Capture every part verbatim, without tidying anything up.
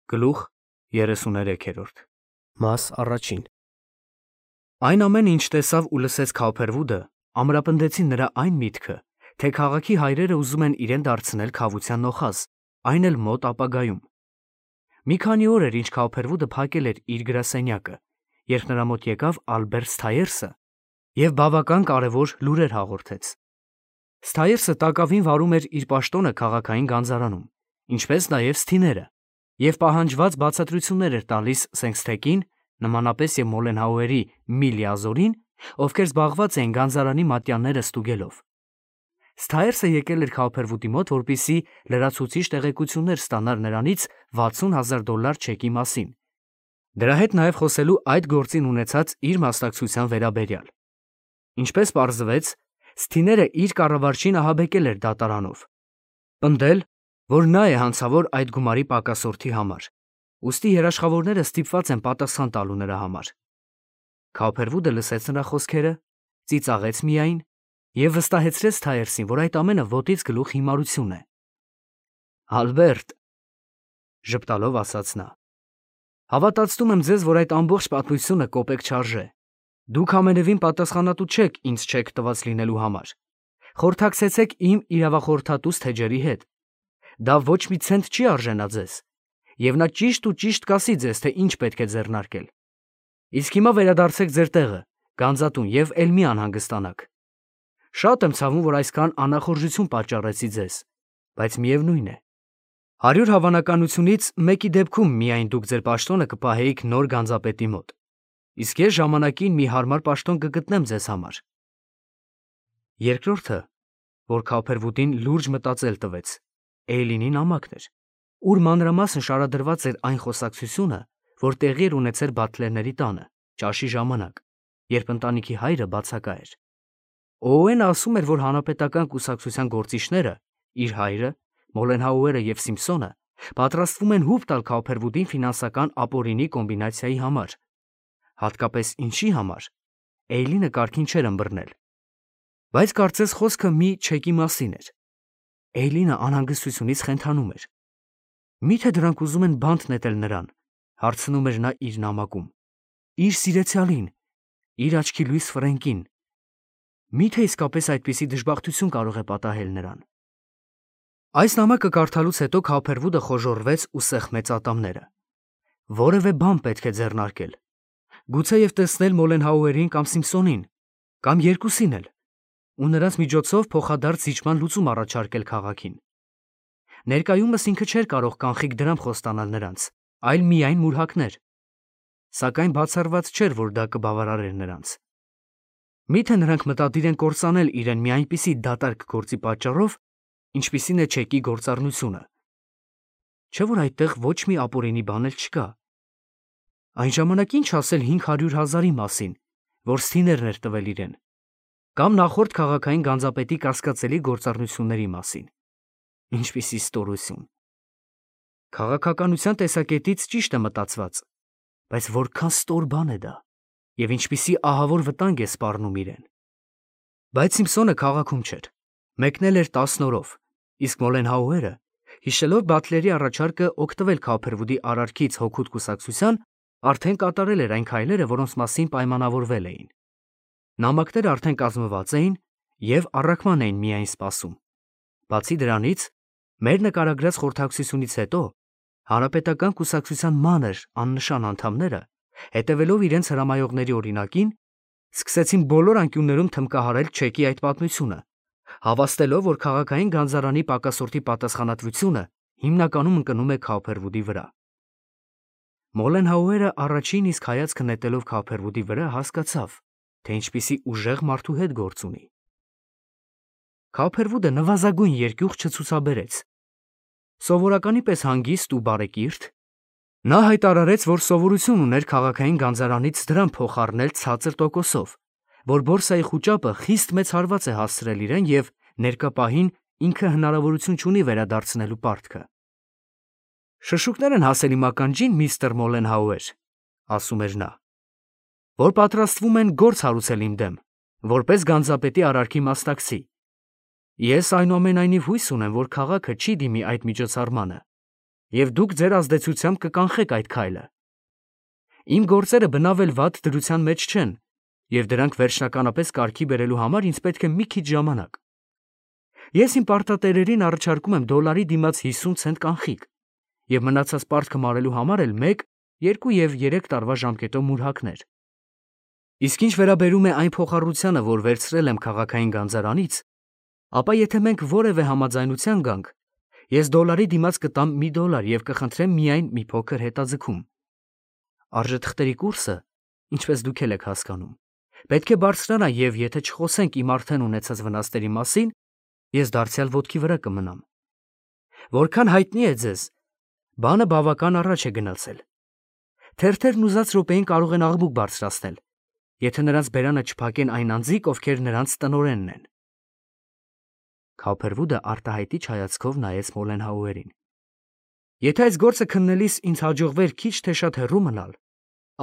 Գլուխ երեսուներեքերորդ Մաս առաջին Այն ամենը, ինչ տեսավ ու լսեց Քավոփերվուդը, ամրապնդեցին նրա այն միտքը, թե քաղաքի հայրերը ուզում են իրեն դարձնել քավության նոխազ, այն էլ մոտ ապագայում։ Մի քանի օր էր, ինչ Քավոփերվուդը փակել էր իր գրասենյակը, երբ նրա մոտ եկավ Ալբերտ Սթայերսը և բավական կարևոր լուրեր հաղորդեց։ Սթայերսը տակավին վարում էր իր պաշտոնը քաղաքային գանձարանում, ինչպես նաև Սթիները, և պահանջված բացատրություններ էր տալիս Սենքսթեքին, նմանապես և Մոլենհաուերի Միլիազորին, ովքեր զբաղված էին գանձարանի մատյանները ստուգելով։ Սթայերսը եկել էր Քավոփերվուդի մոտ, որպեսզի լրացուցիչ տեղեկություններ ստանար նրանից վաթսուն հազար դոլար չեկի մասին, դրա հետ նաև խոսելու այդ գործին ունեցած իր մասնակցության վերաբերյալ։ Ինչպես պարզվեց, Սթիները իր կառավարչին ահաբեկել էր դատարանով, պնդել, որ նա է հանցավոր այդ գումարի պակասորթի համար, ուստի երաշխավորները ստիպված են պատասխան տալու նրա համար։ Քավոփերվուդը լսեց նրա խոսքերը, ծիծաղեց միայն և վստահեցրեց Սթայերսին, որ այդ ամենը ոտից գլուխ հիմարություն է։ Ալբերտ, ժպտալով ասաց նա, հավատացնում եմ ձեզ, որ այդ ամբողջ պատմությունը կոպեկ չարժե։ Դուք ամենևին պատասխանատու չեք ինձ չեք տված լինելու համար։ Խորհրդակցեցեք իմ իրավախորհրդատու Սթեջերի հետ։ Դա ոչ մի ցենտ չի արժենա ձեզ, և նա ճիշտ ու ճիշտ կասի ձեզ, թե ինչ պետք է ձեռնարկել։ Իսկ հիմա վերադարձեք ձեր տեղը, գանձատուն, և էլ մի անհանգստանաք։ Շատ եմ ցավում, որ այսքան անախորժություն պատճառեցի ձեզ, բայց միևնույն է, հարյուր հավանականությունից մեկի դեպքում միայն դուք ձեր պաշտոնը կպահեիք նոր գանձապետի մոտ, իսկ ես ժամանակին մի հարմար պաշտոն կգտնեմ ձեզ համար։ Երկրորդը, որ Քավոփերվուդին լուրջ մտածել տվեց, Էյլինի նամակն էր, ուր մանրամասն շարադրված էր այն խոսակցությունը, որ տեղի էր ունեցել Բաթլերների տանը, ճաշի ժամանակ, երբ ընտանիքի հայրը բացակա էր։ Օուենը ասում էր, որ հանրապետական կուսակցության գործիչները, իր հայրը, Մոլենհաուերը և Սիմփսոնը, պատրաստվում են հուպ տալ Քավոփերվուդին ֆինանսական ապօրինի կոմբինացիայի համար։ Հատկապես ինչի համար, Էյլինը կարգին չէր ըմբռնել։ Բայց կարծես խոսքը մի չեկի մասին էր։ Էյլինը անհանգստությունից խենթանում էր։ Մի՞թե դրանք ուզում են բանտ նետել նրան, հարցնում էր նա իր նամակում։ Իր սիրեցյալին, իր աչքի լույս Ֆրենկին։ Մի՞թե իսկապես այդպիսի դժբախտություն կարող է պատահել նրան։ Այս նամակը կարդալուց հետո Քավոփերվուդը խոժոռվեց ու սեղմեց ատամները։ Որևէ բան պետք է ձեռնարկել։ Գուցեև տեսնել Մոլենհաուերին կամ Սիմփսոնին, կամ երկուսին էլ, ու նրանց միջոցով փոխադարձ զիջման լուծում առաջարկել քաղաքին։ Ներկայումս ինքը չէր կարող կանխիկ դրամ խոստանալ նրանց, այլ միայն մուրհակներ։ Սակայն բացառված չէր, որ դա կբավարարեր նրանց։ Մի՞թե նրանք մտադիր են կործանել իրեն մի այնպիսի դատարկ գործի պատճառով, ինչպիսին է չեկի գործառնությունը։ Չէ՞ որ այդտեղ ոչ մի ապօրինի բան էլ չկա։ Այն ժամանակ ինչ ասել հինգ հարյուր հազարի մասին, որ Սթիներն էր տվել իրեն, կամ նախորդ քաղաքային գանձապետի կասկածելի գործառնությունների մասին։ Ինչպիսի ստորություն։ Քաղաքականության տեսակետից ճիշտ է մտածված, բայց որքան ստոր բան է դա, և ինչպիսի ահավոր վտանգ է սպառնում իրեն։ Բայց Սիմփսոնը քաղաքում չէր, մեկնել էր տասն օրով, իսկ Մոլենհաուերը, հիշելով Բաթլերի առաջարկը օգտվել Քավոփերվուդի արարքից հօգուտ կուսակցության, արդեն կատարել էր այն քայլերը, որոնց մասին պայմանավորվել էին։ Նամակները արդեն կազմված էին և առաքման էին միայն սպասում։ Բացի դրանից, մեր նկարագրած խորհրդակցությունից հետո հանրապետական կուսակցության մանր աննշան անդամները, հետևելով իրենց հրամայողների օրինակին, սկսեցին բոլոր անկյուններում թմբկահարել չեկի այդ պատմությունը, հավաստելով, որ քաղաքային գանձարանի պակասորտի պատասխանատվությունը հիմնականում ընկնում է Քավոփերվուդի վրա։ Մոլենհաուերը առաջին իսկ հայացքը նետելով Քավոփերվուդի վրա հասկացավ, թե ինչպիսի ուժեղ մարդու հետ գործ ունի։ Քավոփերվուդը նվազագույն երկյուղ չցուցաբերեց։ Սովորականի պես հանգիստ ու բարեկիրթ, նա հայտարարեց, որ սովորություն ուներ քաղաքային գանձարանից դրամ փոխառնել ցածր տոկոսով, որ բորսայի խուճապը խիստ մեծ հարված է հասցրել իրեն և ներկա պահին ինքը հնարավորություն չունի վերադարձնելու պարտքը։ Շշուկներ են հասել իմ ականջին, միստր Մոլենհաուեր, ասում էր նա, որ պատրաստվում են գործ հարուցել իմ դեմ, որպես գանձապետի արարքի մասնակցի։ Ես այնուամենայնիվ հույս ունեմ, որ քաղաքը չի դիմի այդ միջոցառմանը, և դուք ձեր ազդեցությամբ կկանխեք այդ քայլը։ Իմ գործերը բնավ էլ վատ դրության մեջ չեն, և դրանք վերջնականապես կարգի բերելու համար ինձ պետք է մի քիչ ժամանակ։ Ես իմ պարտատերերին առաջարկում եմ դոլարի դիմաց հիսուն ցենտ կանխիկ, և մնացած պարտքը մարելու համար էլ մեկ, երկու և երեք տարվա ժամկետով մուրհակներ։ Իսկ ինչ վերաբերում է այն փոխառությանը, որ վերցրել եմ քաղաքային գանձարանից, ապա եթե մենք որևէ համաձայնության գանք, ես դոլարի դիմաց կտամ մի դոլար և կխնդրեմ միայն մի փոքր հետաձգում։ Արժեթղթերի կուրսը, ինչպես դուք էլ եք հասկանում, պետք է բարձրանա, և եթե չխոսենք իմ արդեն ունեցած վնասների մասին, ես դարձյալ ոտքի վրա կմնամ։ Որքան հայտնի է ձեզ, բանը բավական առաջ է գնացել։ Թերթերն ուզած րոպեին կարող են աղմուկ բարձրացնել, եթե նրանց բերանը չփակեն այն անձիկ, ովքեր նրանց տնօրենն են։ Քոփերվուդը արտահայտիչ հայացքով նայեց Մոլենհաուերին։ Եթե այս գործը քննելիս ինձ հաջողվեր քիչ թե շատ հեռու մնալ,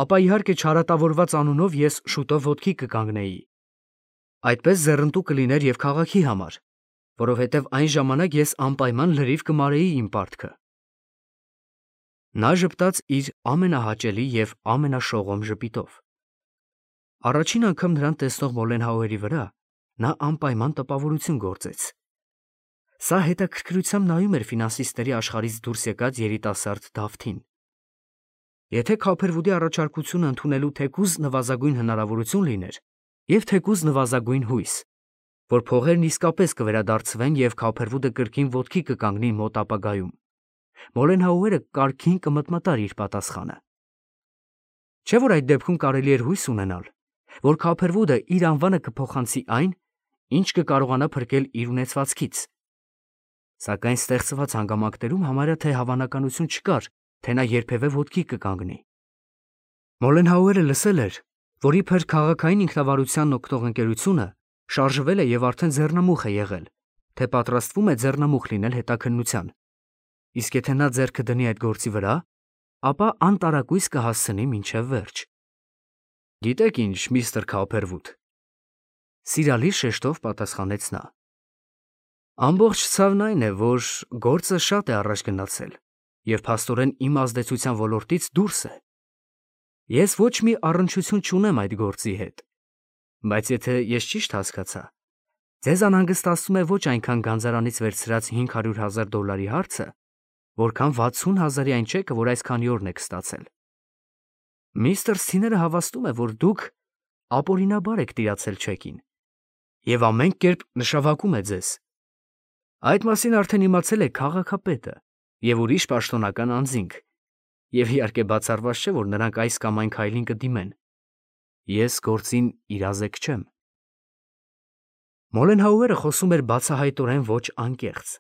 ապա իհարկե չարատավորված անունով ես շուտով ոտքի կկանգնեի։ Այդպես ձեռնտու կլիներ և քաղաքի համար, որովհետև այն ժամանակ ես անպայման լրիվ կմարեի իմ պարտքը։ Նա ժպտաց իր ամենահաճելի և ամենաշողոմ ժպիտով։ Առաջին անգամ նրան տեսնող Մոլենհաուերի վրա նա անպայման տպավորություն գործեց։ Սա հետաքրքրությամբ նայում էր ֆինանսիստների աշխարհից դուրս եկած երիտասարդ Դավթին։ Եթե Քոփերվուդի առաջարկությունը ընդունելու թեկուզ նվազագույն հնարավորություն լիներ, և թեկուզ նվազագույն հույս, որ փողերն իսկապես կվերադարձվեն և Քոփերվուդը կրկին ոտքի կկանգնի մոտ ապագայում, Մոլենհաուերը կարգին կմտմտար իր պատասխանը։ Չէ՞ որ այդ դեպքում կարելի էր հույս ունենալ, որ Քոփերվուդը իր անվանը կփոխանցի այն, ինչ կկարողանա փրկել իր ունեցվածքից։ Սակայն ստեղծված հանգամանքներում համարյա թե հավանականություն չկար, թե նա երբևէ ոտքի կկանգնի։ Մոլենհաուերը լսել էր, որ իբր քաղաքային ինքնավարությանն օգտող ընկերությունը շարժվել է և արդեն ձեռնամուխ է եղել, թե պատրաստվում է ձեռնամուխ լինել հետաքննության, իսկ եթե նա ձեռքը դնի այդ գործի վրա, ապա անտարակույս կհասցնի մինչև վերջ։ Գիտեք ինչ, միստր Քոփերվուդ, սիրալիր շեշտով պատասխանեց նա։ Ամբողջ ցավն այն է, որ գործը շատ է առաջ գնացել և փաստորեն իմ ազդեցության ոլորտից դուրս է։ Ես ոչ մի առնչություն չունեմ այդ գործի հետ, բայց եթե ես ճիշտ հասկացա, ձեզ անհանգստացնում է ոչ այնքան գանձարանից վերցրած հինգ հարյուր հազար դոլարի հարցը, որքան վաթսուն հազարի այն չեկը, որ այսքանի օրն եք ստացել։ Միստր Սիները հավաստում է, որ դուք ապօրինաբար եք տիրացել չեկին և ամեն կերպ նշավակում է ձեզ։ Այդ մասին արդեն իմացել է քաղաքապետը և ուրիշ պաշտոնական անձինք, և իհարկե բացառված չէ, որ նրանք այս կամ այն քայլին կդիմեն։ Ես գործին իրազեկ չեմ։ Մոլենհաուերը խոսում էր բացահայտորեն ոչ անկեղծ։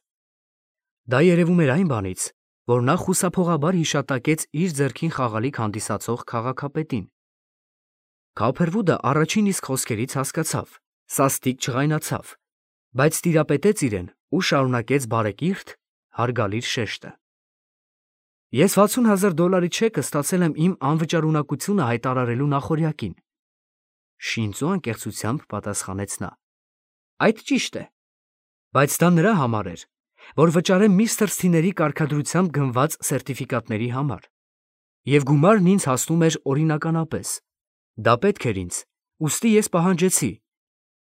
Դա երևում էր այն բանից, որ նա խուսափողաբար հիշատակեց իր ձեռքին խաղալիք հանդիսացող քաղաքապետին։ Քոփերվուդը առաջին իսկ խոսքերից հասկացավ, սաստիկ չղայնացավ, բայց տիրապետեց իրեն ու շարունակեց բարեկիրթ, հարգալից շեշտը։ Ես վաթսուն հազար դոլարի չեկը ստացել եմ իմ անվճարունակությունը հայտարարելու նախօրյակին, շինծու անկեղծությամբ պատասխանեց նա։ Այդ ճիշտ է, բայց դա նրա համար էր, որ վճարեմ միստր Սիների կարգադրությամբ գնված սերտիֆիկատների համար, և գումարն ինձ հասնում էր օրինականապես։ Դա պետք էր ինձ, ուստի ես պահանջեցի։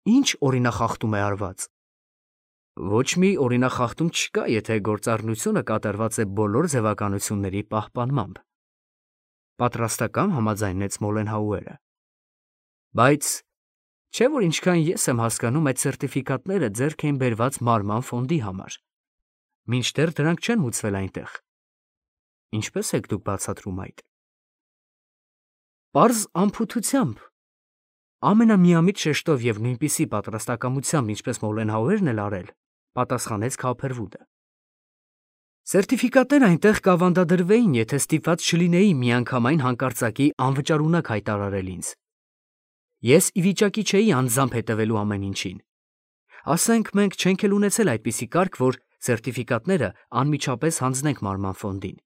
Ինչ օրինախախտում է արված։ Ոչ մի օրինախախտում չկա, եթե գործառնությունը կատարված է բոլոր ձևականությունների պահպանմամբ, պատրաստակամ համաձայնեց Մոլենհաուերը։ Բայց չէ՞ որ ինչքան ես եմ հասկանում, այդ սերտիֆիկատները ձեռք էին բերված մարման ֆոնդի համար, մինչդեռ դրանք չեն մուծվել այնտեղ։ Ինչպե՞ս եք դուք բացատրում այդ։ Պարզ անփութությամբ, ամենամիամիտ շեշտով և նույնպիսի պատրաստակամությամբ, ինչպես Մոլենհաուերն էլ արել, պատասխանեց Քոփերվուդը։ Սերտիֆիկատները այնտեղ կավանդադրվեին, եթե ստիպված չլինեի միանգամայն հանկարծակի անվճարունակ հայտարարել ինձ։ Ես ի վիճակի չէի անձամբ հետևելու ամեն ինչին։ Ասենք մենք չենք էլ ունեցել այդպիսի կարգ, որ սերտիֆիկատները անմիջապես հանձնենք մարման ֆոնդին։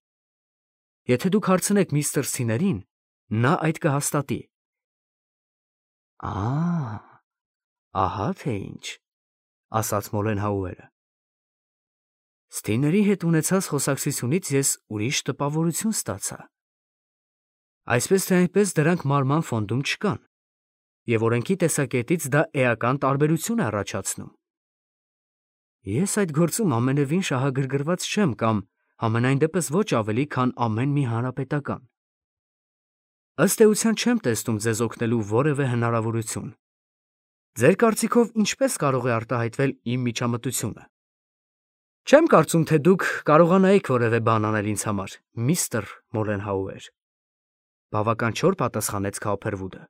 Եթե դուք հարցնեք միստր Սիներին, նա այդ կհաստատի։ Ա, ահա թե ինչ, ասաց Մոլենհաուերը։ Ստիների հետ ունեցած խոսակցությունից ես ուրիշ տպավորություն ստացա։ Այսպես թե այնպես դրանք մարման ֆոնդում չկան, և օրենքի տեսակետից դա էական տարբերություն է առաջացնում։ Ես այդ գործում ամենևին շահագրգռված չեմ կամ համենայն դեպս ոչ ավելի, քան ամեն մի հանրապետական։ Ըստ էության չեմ տեսնում ձեզ օգնելու որևէ հնարավորություն։ Ձեր կարծիքով ինչպես կարող է արտահայտվել իմ միջամտությունը։ Չեմ կարծում, թե դուք կարողանայիք որևէ բան անել ինձ համար, միստր Մոլենհաուեր, բավական չոր պատասխանեց Քաուփերվուդը։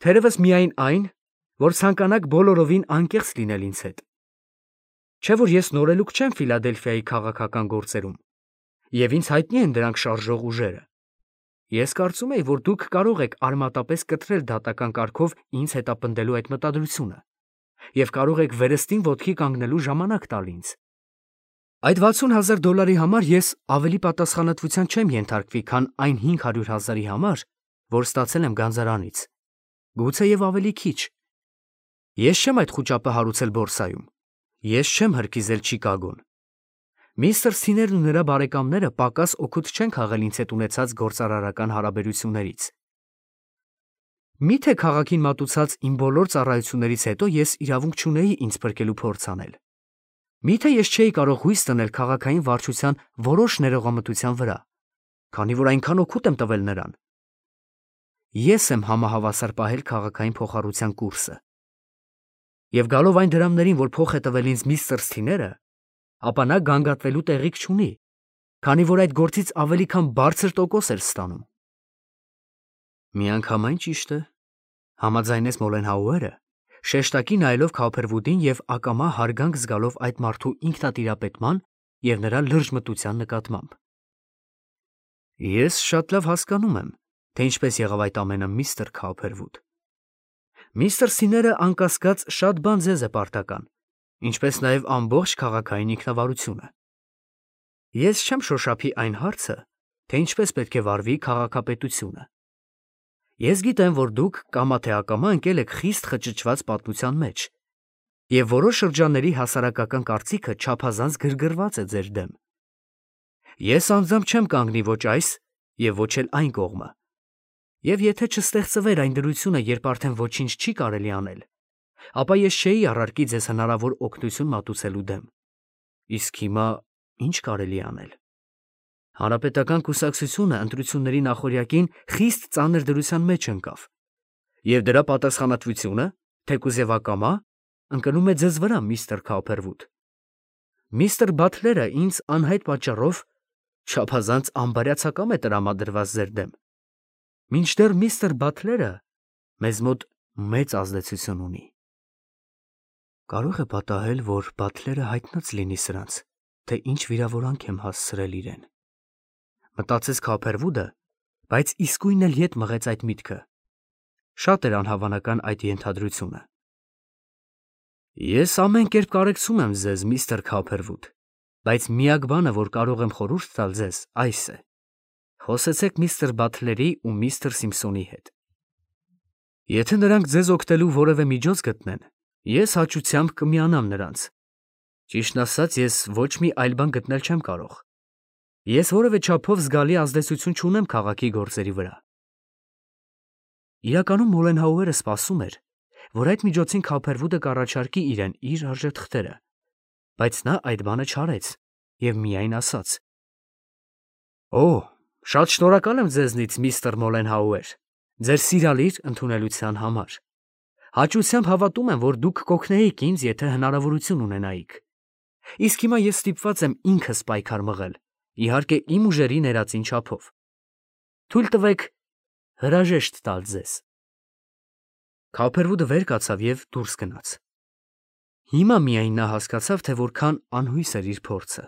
Թերևս միայն այն, որ ցանկանաք բոլորովին անկեղծ լինել ինձ հետ։ Չէ՞ որ ես նորելուկ չեմ Ֆիլադելֆիայի քաղաքական գործերում, և ինձ հայտնի են դրանք շարժող ուժերը։ Ես կարծում էի, որ դուք կարող եք արմատապես կտրել դատական կարգով ինձ հետապնդելու այդ մտադրությունը, և կարող եք վերստին ոտքի կանգնելու ժամանակ տալ ինձ։ Այդ վաթսուն հազար դոլարի համար ես ավելի պատասխանատվության չեմ ենթարկվի, քան այն հինգ հարյուր հազարի համար, որ ստացել եմ գանձարանից, գուցեև ավելի քիչ։ Ես չեմ այդ խուճապը հարուցել բորսայում, ես չեմ հրկիզել Չիկագոն։ Միստր Սիներն ու նրա բարեկամները պակաս օգուտ չեն քաղել ինձ հետ ունեցած գործարարական հարաբերություններից։ Մի՞թե քաղաքին մատուցած իմ բոլոր ծառայություններից հետո ես իրավունք չունեի ինձ փրկելու փորձ անել։ Մի՞թե ես չէի կարող հույս դնել քաղաքային վարչության որոշ ներողամտության վրա, քանի որ այնքան օգուտ եմ տվել նրան։ Ես եմ համահավասար պահել քաղաքային փոխառության կուրսը։ Եվ գալով այն դրամներին, որ փոխ է տվել ինձ միստր Սիները, ապա նա գանգատվելու տեղիք չունի, քանի որ այդ գործից ավելի քան բարձր տոկոս էր ստանում։ Միանգամայն ճիշտ է, համաձայնեց Մոլենհաուերը, շեշտակի նայելով Քաուփերվուդին և ակամա հարգանք զգալով այդ մարդու ինքնատիրապետման և նրա լրջմտության նկատմամբ։ Ես շատ լավ հասկանում եմ, թե ինչպես եղավ այդ ամենը, միստր Քաուփերվուդ։ Միստր Սիները անկասկած շատ բան ձեզ է պարտական, ինչպես նաև ամբողջ քաղաքային ինքնավարությունը։ Ես չեմ շոշափի այն հարցը, թե ինչպես պետք է վարվի քաղաքապետությունը։ Ես գիտեմ, որ դուք կամա թե ակամա ընկել եք խիստ խճճված պատմության մեջ, և որոշ շրջանների հասարակական կարծիքը չափազանց գրգռված է ձեր դեմ։ Ես անձամբ չեմ կանգնի ոչ այս և ոչ էլ այն կողմը, և եթե չստեղծվեր այն դրությունը, երբ արդեն ոչինչ չի կարելի անել, ապա ես չէի առարկի ձեզ հնարավոր օգնություն մատուցելու դեմ։ Իսկ հիմա ի՞նչ կարելի է անել։ Հանրապետական կուսակցությունը ընտրությունների նախօրյակին խիստ ծանր դրության մեջ ընկավ, և դրա պատասխանատվությունը, թեկուզ և ակամա, ընկնում է ձեզ վրա, միստր Քաուփերվուդ։ Միստր Բաթլերը ինձ անհայտ պատճառով չափազանց անբարյացակամ է տրամադրված ձեր դեմ, մինչդեռ միստր Բաթլերը մեզ մոտ մեծ ազդեցություն ունի։ Կարող է պատահել, որ Բաթլերը հայտնած լինի սրանց, թե ինչ վիրավորանք եմ հասցրել իրեն։ Մտածեց Քաուփերվուդը, բայց իսկույն էլ ետ մղեց այդ միտքը։ Շատ էր անհավանական այդ ենթադրությունը։ Ես ամեն կերպ կարեկցում եմ ձեզ, միստր Քաուփերվուդ, բայց միակ բանը, որ կարող եմ խորհուրդ տալ ձեզ, այս է. խոսեցեք միստր Բաթլերի ու միստր Սիմփսոնի հետ։ Եթե նրանք ձեզ օգնելու որևէ միջոց գտնեն, ես հաճությամբ կմիանամ նրանց։ Ճիշտն ասած, ես ոչ մի այլ բան գտնել չեմ կարող։ Ես որևէ չափով զգալի ազդեցություն չունեմ քաղաքի գործերի վրա։ Իրականում Մոլենհաուերը սպասում էր, որ այդ միջոցին Քաուփերվուդը կառաջարկի իրեն իր արժեթղթերը, բայց նա այդ բանը չարեց և միայն ասաց. Օ, շատ շնորհակալ եմ ձեզնից, միստր Մոլենհաուեր, ձեր սիրալիր ընդունելության համար։ Հաճությամբ հավատում եմ, որ դուք կօգնեիք ինձ, եթե հնարավորություն ունենայիք։ Իսկ հիմա ես ստիպված եմ ինքս պայքար մղել, իհարկե իմ ուժերի ներածին չափով։ Թույլ տվեք հրաժեշտ տալ ձեզ։ Քաուփերվուդը վեր կացավ և դուրս գնաց։ Հիմա միայն նա հասկացավ, թե որքան անհույս էր իր փորձը։